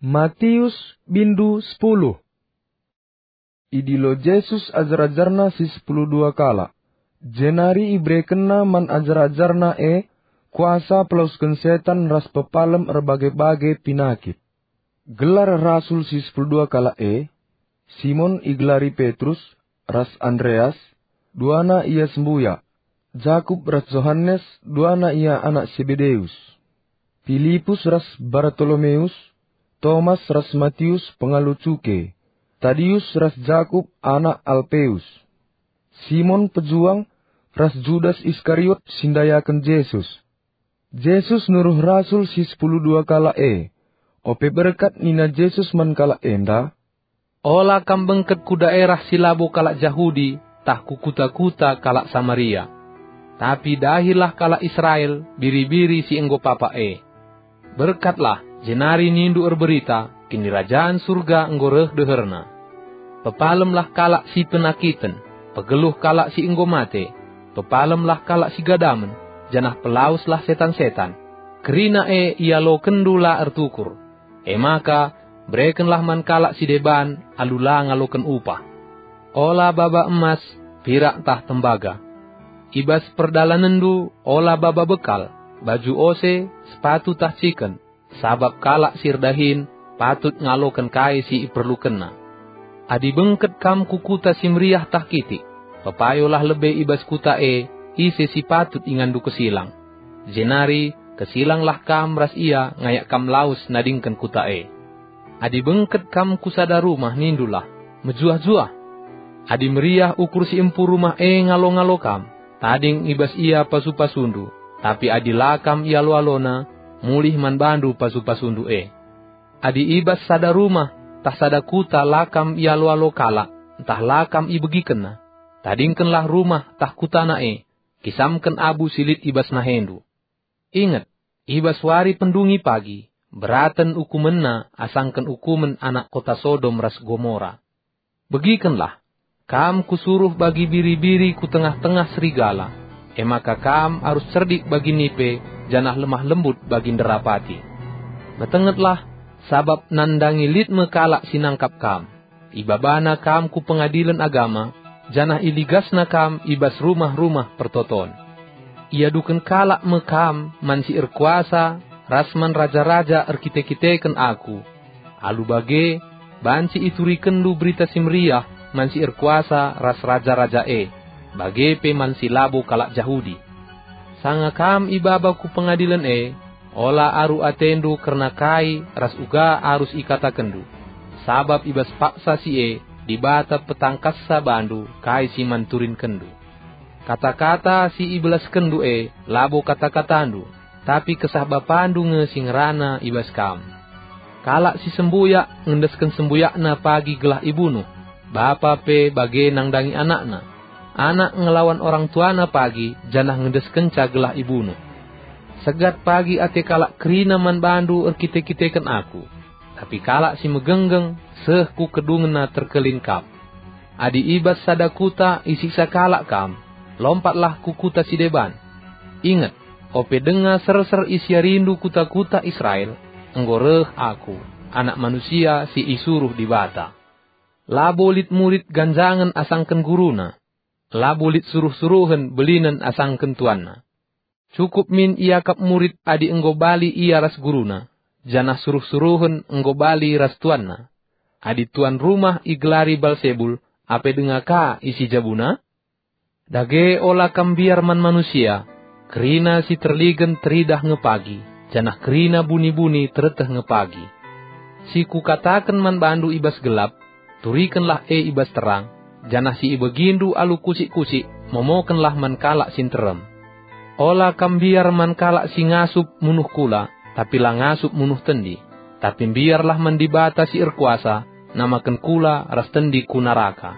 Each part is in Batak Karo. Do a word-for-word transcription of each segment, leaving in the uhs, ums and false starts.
Matius bindu sepuluh. Idilo Jesus ajar-ajarNa si sepuluh dua kalak, jenari iberekenNa man ajar-ajarNa e kuasa pelawesken setan ras pepalem erbage-bage pinakit. Gelar rasul si sepuluh dua kalak e: Simon igelari Petrus, ras Andreas, duana ia sembuyak, Jakup ras Johanes, duana ia anak Sebedeus, Pilipus ras Bartolomeus, Tomas ras Matius pengalo cuke, Tadius ras Jakup anak Alpeus, Simon pejuang, ras Judas Iskariot si ndayaken Jesus. Jesus nuruh rasul si sepuluh dua kalak e. Ope berkat nina Jesus man kalak enda, "Ola kam bengket ku daerah si labo kalak Jahudi tah ku kuta-kuta kalak Samaria. Tapi dahilah kalak Israel biri-biri si enggo papak e. Berkatlah, jenari nindu erberita, Kinirajan Surga enggo reh deherna. Pepalemlah kalak si penakiten, pegeluh kalak si enggo mate, pepalemlah kalak si gadamen, janah pelaweslah setan-setan. Kerina e ialokenndu la ertukur. E maka, berekenlah man kalak si deban alu la ngaloken upah. Ola baba emas, pirak tah tembaga. I bas perdalanenndu ola baba bekal, baju ose, sepatu tah ciken, sabap kalak si erdahin patut ngaloken kai si iperlukenna. Adi bengket kam ku kuta si meriah tah kitik, pepayolah lebe i bas kuta e ise si patut inganndu kesilang. Jenari kesilanglah kam ras ia ngayak kam lawes nadingken kuta e. Adi bengket kam ku sada rumah, nindulah, 'Mejuah-juah.' Adi meriah ukur si empu rumah e ngalo-ngalo kam, tading i bas ia pasu-pasundu, tapi adi la kam ialo-alona, mulih man bandu pasu-pasundu e. Adi i bas sada rumah tah sada kuta la kam ialo-alo kalak, ntah la kam ibegikenna, tadingkenlah rumah tah kutana e, kisamken abu si lit i bas nahendu. Inget, i bas wari pendungi pagi, beraten ukumenna asangken ukumen anak kota Sodom ras Gomora. Begikenlah, kam kusuruh bagi biri-biri ku tengah-tengah serigala, e maka kam arus cerdik bagi nipe, janah lemah lembut bagi nderapati. Metengetlah, sabap nandangi lit me kalak si nangkap kam. Ibabana kam ku pengadilen agama, janah iligasna kam i bas rumah-rumah pertoton. Iaduken kalak me kam man si erkuasa ras man raja-raja erkite-kiteken aku. Alu bage, banci iturikenndu Berita Si Meriah man si erkuasa ras raja-raja e, bage pe man si labo kalak Jahudi. Sanga kam ibaba ku pengadilen e, ola aru atendu kerna kai ras uga arus ikatakenndu, sabap i bas paksa si e Dibata petangkassa bandu kai si man turinkenndu. Kata-kata si ibelaskenndu e labo kata-katandu, tapi Kesah Bapandu nge si ngerana i bas kam. Kalak si sembuyak ngendesken sembuyakna pagi gelah ibunuh, bapa pe bage nandangi anakna. Anak ngelawan orang tuana pagi, janah ngendeskenca gelah ibunuh. Segat pagi ate kalak kerina man bandu erkite-kiteken aku, tapi kalak si megenggeng seh ku kedungenna terkelin kap. Adi i bas sada kuta isiksa kalak kam, lompatlah ku kuta si deban. Inget, ope denga serser isiarindu kuta-kuta Israel, enggo reh Aku, Anak Manusia si isuruh Dibata. Labo lit murid ganjangen asangken guruna, labo lit suruh-suruhen belinen asangken tuanna. Cukup min iakap murid adi enggo bali ia ras guruna, janah suruh-suruhen enggo bali ras tuanna. Adi tuan rumah igelari Balsebul, ape denga ka isi jabuna? Dage ola kam mbiar man manusia, kerina si terligen teridah nge pagi, janah kerina buni-buni tereteh nge pagi. Si kukataken man bandu i bas gelap, turikenlah e i bas terang, janah si ibegindu alu kusik-kusik, momokenlah man kalak si nterem. Ola kam mbiar man kalak si ngasup munuh kula, tapi la ngasup munuh tendi, tapi mbiarlah man Dibata si erkuasa namaken kula ras tendi ku naraka.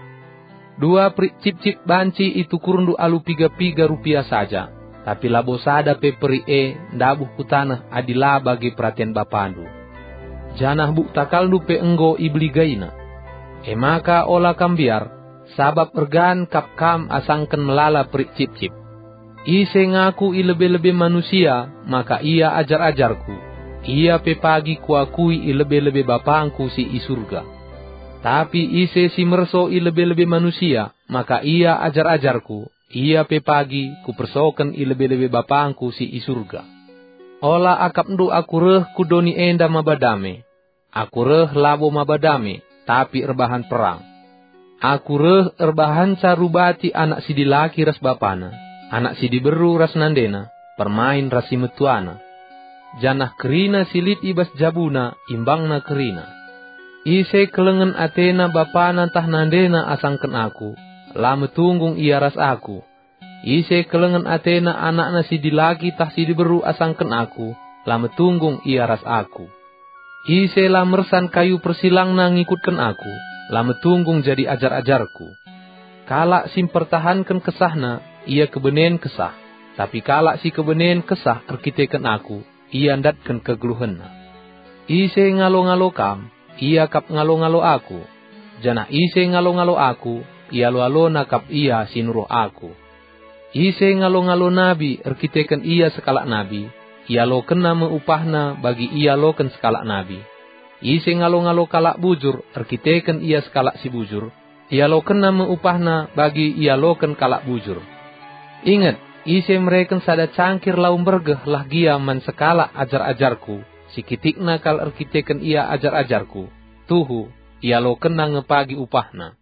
Dua perik cipcip banci itukurndu alu piga-piga rupia saja, tapi labo sada pe perik e ndabuh ku taneh adi la bage peraten Bapandu. Janah buk takalndu pe enggo ibeligaina. E maka ola kam mbiar, sabap ergan kap kam asangken melala perik cipcip. Ise ngaku i lebe-lebe manusia, maka ia ajar-ajarKu. ia pe pagi kuakui i lebe-lebe BapangKu si i Surga. Tapi ise si merso i lebe-lebe manusia, maka ia ajar-ajarKu, ia pe pagi Kupersoken i lebe-lebe BapangKu si i Surga. Ola akapndu Aku reh ku doni enda maba dame. Aku reh labo maba dame, tapi erbahan perang. Aku reh erbahanca rubati anak si dilaki ras bapana, anak si diberu ras nandena, permain ras si metuana. Janah kerina si lit i bas jabuna imbangna kerina. Ise kelengen atena bapana ntah nandena asangken Aku, la metunggung ia ras Aku. Ise kelengen atena anakna si dilaki tah si diberu asangken Aku, la metunggung ia ras Aku. Ise la mersan kayu persilangna ngikutken Aku, la metunggung jadi ajar-ajarKu. Kalak si mpertahanken kesahna, ia kebenen kesah, tapi kalak si kebenen kesah erkiteken Aku, ia ndatken kegeluhenna. Ise ngalo-ngalo Kam, ia kap ngalo-ngalo Aku, janah ise ngalo-ngalo Aku, ialo-alona kap ia si nuruh Aku. Ise ngalo-ngalo nabi erkiteken ia sekalak nabi, ialokenna me upahna bagi ialoken sekalak nabi. Ise ngalo-ngalo kalak bujur erkiteken ia sekalak si bujur, ialokenna me upahna bagi ialoken kalak bujur. Inget, ise mereken sada cangkir lau mbergeh lah gia man sekalak ajar-ajarKu, si kitikna kal erkiteken ia ajar-ajarKu, tuhu, ialokenna nge pagi upahna.